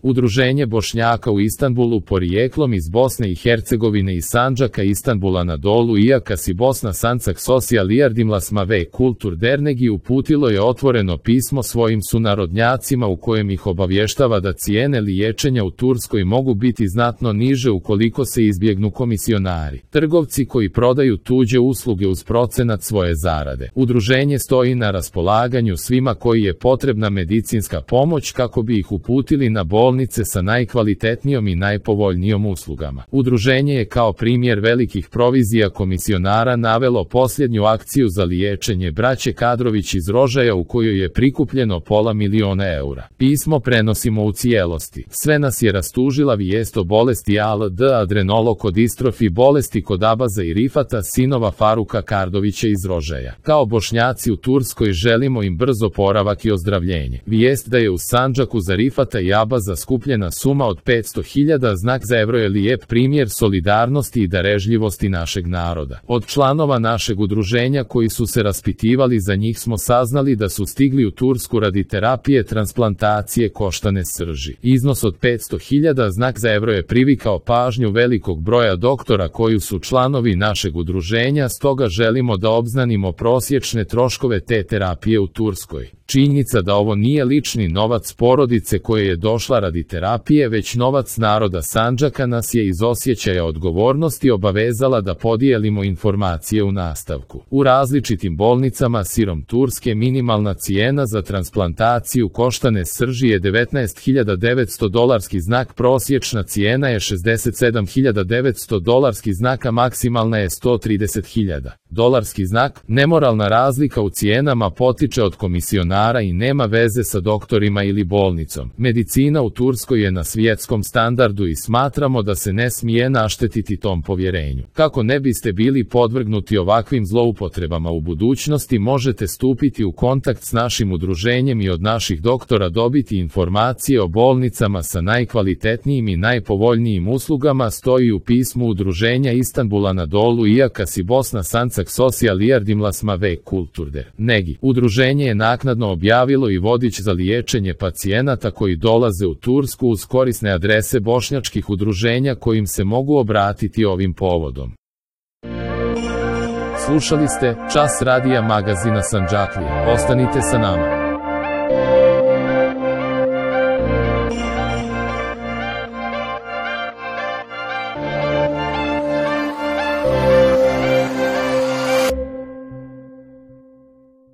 Udruženje Bošnjaka u Istanbulu porijeklom iz Bosne i Hercegovine i Sandžaka Istanbula na dolu Ijakas i Bosna Sancak Socijal Iardimlasma ve Kultur Dernegi uputilo je otvoreno pismo svojim sunarodnjacima u kojem ih obavještava da cijene liječenja u Turskoj mogu biti znatno niže ukoliko se izbjegnu komisionari, trgovci koji prodaju tuđe usluge uz procenat svoje zarade. Udruženje stoji na raspolaganju svima koji je potrebna medicinska pomoć kako bi ih uputili na bolnice sa najkvalitetnijom i najpovoljnijom uslugama. Udruženje je kao primjer velikih provizija komisionara navelo posljednju akciju za liječenje braće Kadrović iz Rožaja u kojoj je prikupljeno $500.000 eura. Pismo prenosimo u cijelosti. Sve nas je rastužila vijest o bolesti ALD adrenolokodistrofi, bolesti kod Abaza i Rifata, sinova Faruka Kardovića iz Rožaja. Kao Bošnjaci u Turskoj želimo im brz oporavak i ozdravljenje. Vijest da je u Sandžaku za Rifata i Abaza skupljena suma od 500.000 znak za evro je lijep primjer solidarnosti i darežljivosti našeg naroda. Od članova našeg udruženja koji su se raspitivali za njih smo saznali da su stigli u Tursku radi terapije transplantacije koštane srži. Iznos od 500.000 znak za evro je privikao pažnju velikog broja doktora koji su članovi našeg udruženja, stoga želimo da obznanimo prosječne troškove te terapije u Turskoj. Činjenica da ovo nije lični novac porodice koje je došla radi terapije, već novac naroda Sandžaka nas je iz osjećaja odgovornosti obavezala da podijelimo informacije u nastavku. U različitim bolnicama širom Turske minimalna cijena za transplantaciju koštane srži je $19.900 znak, prosječna cijena je $67.900 znak, a maksimalna je $130.000 znak. Nemoralna razlika u cijenama potiče od komisionara i nema veze sa doktorima ili bolnicom. Medicina u Turskoj je na svjetskom standardu i smatramo da se ne smije naštetiti tom povjerenju. Kako ne biste bili podvrgnuti ovakvim zloupotrebama u budućnosti, možete stupiti u kontakt s našim udruženjem i od naših doktora dobiti informacije o bolnicama sa najkvalitetnijim i najpovoljnijim uslugama, stoji u pismu Udruženja Istanbula na dolu Ijakas i Bosna Sancak Socijal Iardimlasma ve Kultur Dernegi. Udruženje je naknadno objavilo i vodič za liječenje pacijenata koji dolaze u Tursku uz korisne adrese bošnjačkih udruženja kojim se mogu obratiti ovim povodom. Slušali ste Čas radija magazina Sandžaklije. Ostanite sa nama.